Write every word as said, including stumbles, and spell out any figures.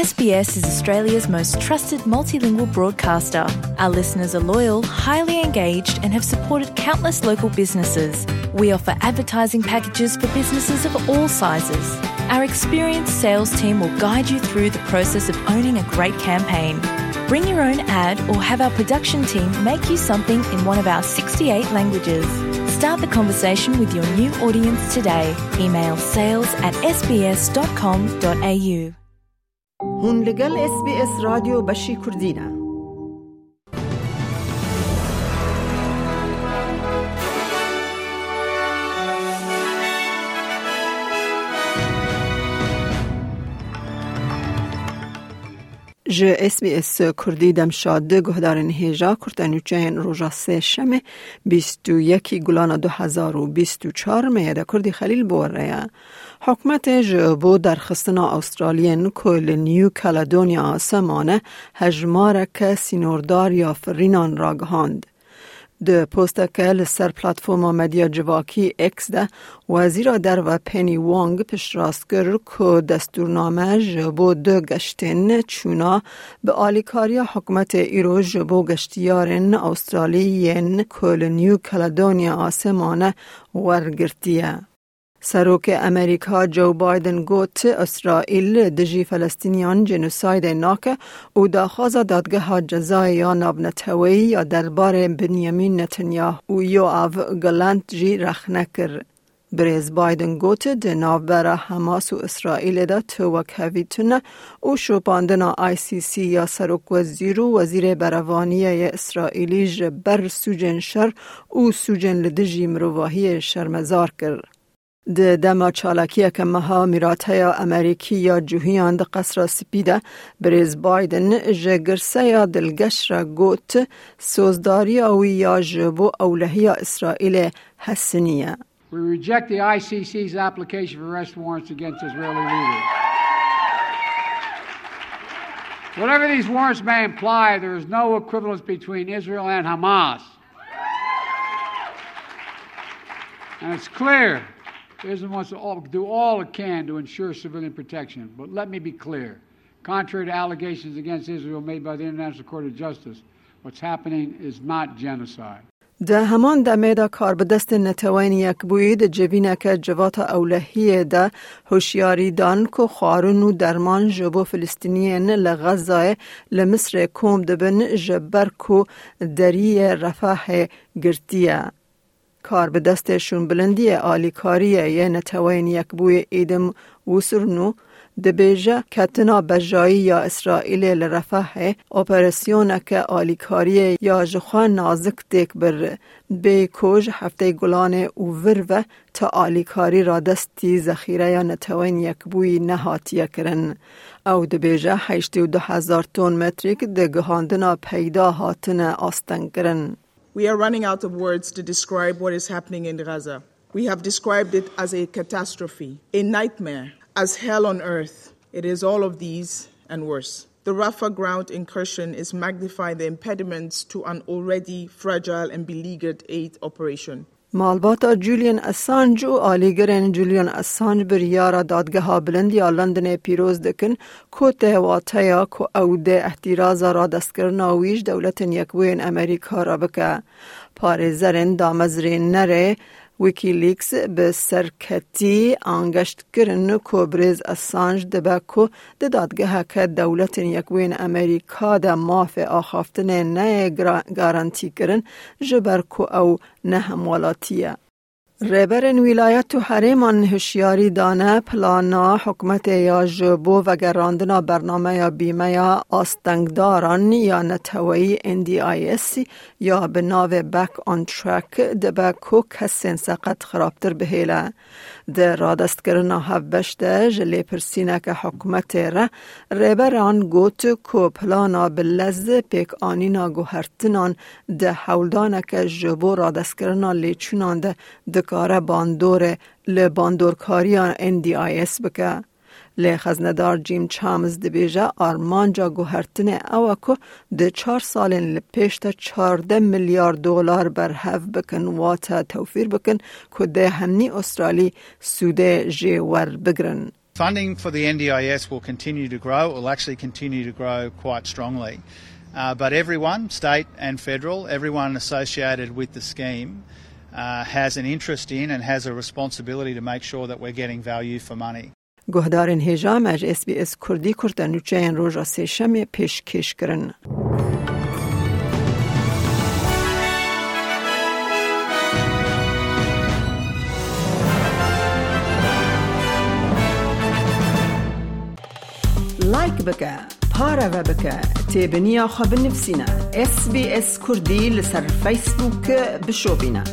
S B S is Australia's most trusted multilingual broadcaster. Our listeners are loyal, highly engaged, and have supported countless local businesses. We offer advertising packages for businesses of all sizes. Our experienced sales team will guide you through the process of owning a great campaign. Bring your own ad or have our production team make you something in one of our sixty-eight languages. Start the conversation with your new audience today. Email sales at S B S dot com dot A U. Hûn li gel S B S Radyo Beşî Kurdî ne. Ji S B S Kurdî dem şad, guhdarên hêja kurte nûçeyên roja sê şemê bîst û yekî Gulana du hezar û bîst û çar me ye de Kurdî Xelîl bi we re ye. Hikûmetê ji bo derxistina Astraliyên ku li New Caledonia asemane hejmareke sînordar ya firînan ragihand. Di posteke li ser platforma medya civakî X de, Wezîra Derve Penny Wong piştrast kir ku destûrname ji bo du geştên çûna bi alîkariya hikûmetê îro ji bo geştiyarên Astralî yên ku li New Caledonia asemane wergirtiye. Serokê Amerîka Joe Biden got, Îsraîl dijî Felestîniyan jenosaydê nake û daxwaza Dadgeha Cezayê ya Navneteweyî ya derbarê Benjamin Netanyahu û Yoav Gallant jî rexne kir. Birêz Biden got, di navbera Hamas û Îsraîlê de tu wekhevî tune û şopandina I C C ya serokwezîr û wezîrê berevaniyê yê Îsraîlî ji ber sûcên şer û sûcên li dijî mirovahiyê şermezar kir. Di dema çalakiyeke meha mîrateya Amerîkî ya cûhiyan di Qesra Spî de, Birêz Biden ji girseya dilgeş re got, sozdariya wî ya ji bo ewlehiya Îsraîlê hesinî ye. We reject the I C C's application for arrest warrants against Israeli leaders. Whatever these warrants may imply, there is no equivalence between Israel and Hamas. And it's clear Israel wants to all, do all it can to ensure civilian protection. But let me be clear. Contrary to allegations against Israel made by the International Court of Justice, what's happening is not genocide. Di heman demê de karbidestên Neteweyên Yekbûyî di civîneke civata ewlehiyê de hişyarî dan ku xwarin û derman ji bo Filistîniyên li Xezayê li Misrê kom dibin, ji ber ku deriyê Refahê girtiye. Karbidestê şûnbilindiyê alîkariyê yê Neteweyên Yekbûyî Îdim Wisirnû dibêje, ketina bejayî ya Îsraîlê li Refahê operasyoneke alîkariyê ya jixwe nazik têk bir, bêyî ku ji hefteyê Gulanê û vir ve ti alîkarî radestî zexîreya Neteweyên Yekbûyî nehatiye kirin. Ew dibêje, heştê û du hezar ton metrîk di gihandina peyda hatine astengkirin. We are running out of words to describe what is happening in Gaza. We have described it as a catastrophe, a nightmare, as hell on earth. It is all of these and worse. The Rafah ground incursion is magnifying the impediments to an already fragile and beleaguered aid operation. Malbata Julian Assange û alîgirên Julian Assange biryara Dadgeha Bilind ya Londonê pîroz dikin, ku tê wateya ku ew dê ehtîraza radestkirina wî ji Dewletên Yekbûyên Amerîka re bike. Parêzerên damezrênerê Wikileaks bi serketî angeşt kirin ku birêz Assange dibe ku di dadgeheke Dewletên Yekbûyên Amerîka de mafê axaftinê neyê gra-, garantî kirin, ji ber ku ew ne hemwelatî ye. Rêberên wîlayet û herêman hişyarî dane, plana hikûmetê ya ji bo vegerandina bernameya bîmeya astengdaran ya neteweyî N D I S ya bi navê Back on Track dibe ku kesên seqet xirabtir bihêle. Di radestkirina hevbeş de ji lêpirsîneke hikûmetê re, rêberan got ku plana bi lez pêkanîna guhertinan di hewldaneke ji bo radestkirina lêçûnan de dikare bandorê li bandorkariya N D I S bike. Lê xeznedar Jim Chalmers dibêje, armanca guhertinê ew e ku di çar salên li pêş de çardeh milyar dolar berhev bikin, wate tewfîr bikin, ku dê hemî Astralî sûdê jê werbigirin. Funding for the N D I S will continue to grow. It will actually continue to grow quite strongly. Uh, but everyone, state and federal, everyone associated with the scheme, uh, has an interest in and has a responsibility to make sure that we're getting value for money. Guhdarên hêja me ji S B S Kurdî kurte nûçeyên roja Sêşemê pêşkêş kirin. Like bike, pareve bike, têbiniya xwe binivîsîne. S B S Kurdî li ser Facebook bişopîne.